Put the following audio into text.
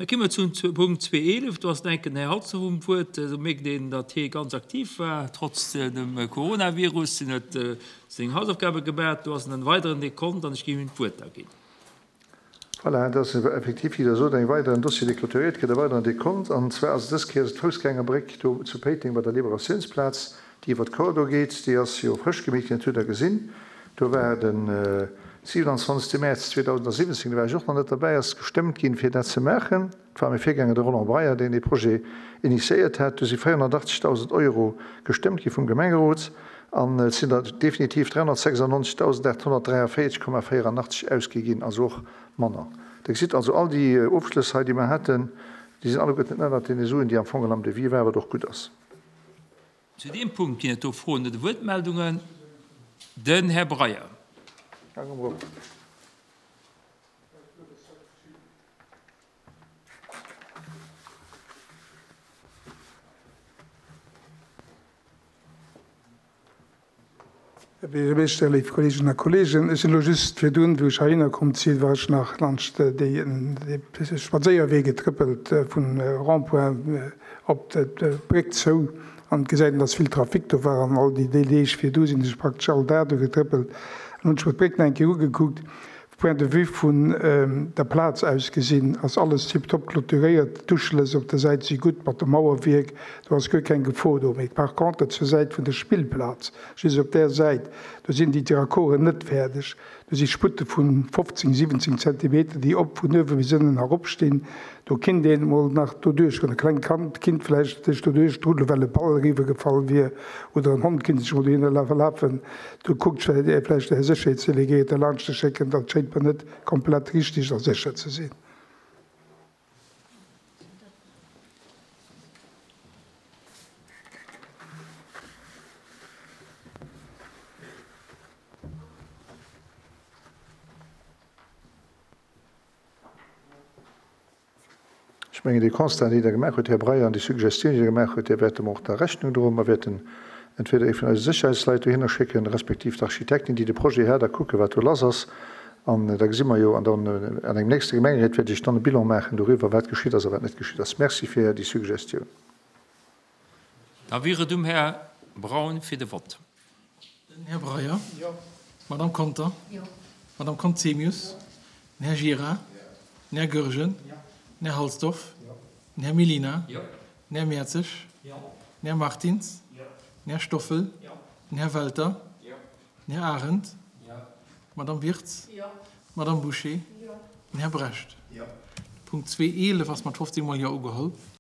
Da gi mer zum Punkt 2.11. Do ass den enken Här Halsdorf um Wuert. Do mierkt een, datt hie ganz aktiv war, trotz dem Coronavirus. Hien huet seng Hausaufgabe gemaach. Do ass en weideren Dekont an ech géif him d'Wuert da ginn. Voilà, et ass effektiv, wéi Der sot, eng weideren Dossier, dee clôturéiert gëtt, e weideren Dekont. An zwar ass et dës Kéier d'Foussgängerbréck do zu Péiteng bei der Liberatiounsplaz, déi iwwer d'Kor do geet. Déi ass jo frësch gemeet ginn, dat hutt Der gesinn. Do war de 27. Mäerz 2017, do war ech och nach net derbäi, ass gestëmmt ginn, fir dat ze maachen. Et war mäi Virgänger, de Roland Breyer, deen dee Projet initiéiert hat. Do si 480.000 Euro gestëmmt gi vum Gemengerot an et sinn der definitiv 396.843,84 ausgi ginn, also och manner. Der gesitt also, all déi Ofschlëss hei, déi mer haten, déi sinn alleguerten ënnert deene Suen, déi am Fong am Devis waren, wat och gutt ass. Zu deem Punkt ginn et do Froen oder Wuertmeldungen. Den Här Breyer. Här Buergermeeschter, léif Kolleeginnen a Kolleegen, ech sinn elo just virdrun, wou ech heihinner komm sinn, war ech nach laanscht déi Spadséierwee getrëppelt vun Rond-point op d'Bréck zou an et gesäit een, dass vill Trafic do war an all déi Deeg virdu sinn ech praktesch all Dag do getrëppelt an hunn ech mer d'Bréck nach eng Kéier ugekuckt. Point de vue vun der Plaz aus gesinn ass alles tiptop clôturéiert, d'Uschlëss op der Säit si gutt mat dem Mauerwierk, do ass guer keng Gefor do. Mee par contre zur Säit vun der Spillplaz, just op där Säit, do sinn déi Racorden net fäerdeg. Do si Sputte vu 15, 17 Zentimeter, déi op vun uewe bis ënnen eropstinn. Do kinnt een emol nach doduerch goen, e klengt Kand kinnt vläicht sech doduerch druddelen, well e Ball eriwwergefall wier, oder en Hond kinnt sech emol dohinner verlafen. Do kuckt vläicht de Här Sécherheetsdelegéierte laanscht ze schécken, dat schéint mer net komplett richtig a sécher ze sinn. Ech mengen, dee Constat, deen Der gemaach hutt, Här Breyer, an déi Suggestioun, déi Der gemaach hutt, där wäerte mer och da Rechnung droen. Mer wäerten entweder ee vun eise Sécherheitsleit dohinner schécken, respektiv d'Architektin, déi de Projet hat, a kucken, wat do lass ass. An da gesi mer jo, an dann an engem nächste Gemengeréit wäert ech dann e Bilan maachen doriwwer, wat geschitt ass a wat net geschitt ass. Merci fir déi Suggestioun. Da wier et um Här Braun fir de Vott. Den Här Breyer. Jo. D'Madame Conter. Jo. D'Madame Conzemius. Den Här Gira. Den Här Goergen. Jo. Den Här Halsdorf. Jo. Den Här Mellina. Jo. Den Här Mertzig. Jo. Den Här Martins. Jo. Den Här Stoffel. Jo. Den Här Welter. Jo. Den Här Arendt. Jo. D'Madame Wirtz. Jo. D'Madame Bouché. Jo. Den Här Brecht. Jo. De Punkt 2.11 ass mat 15 mol Jo ugeholl.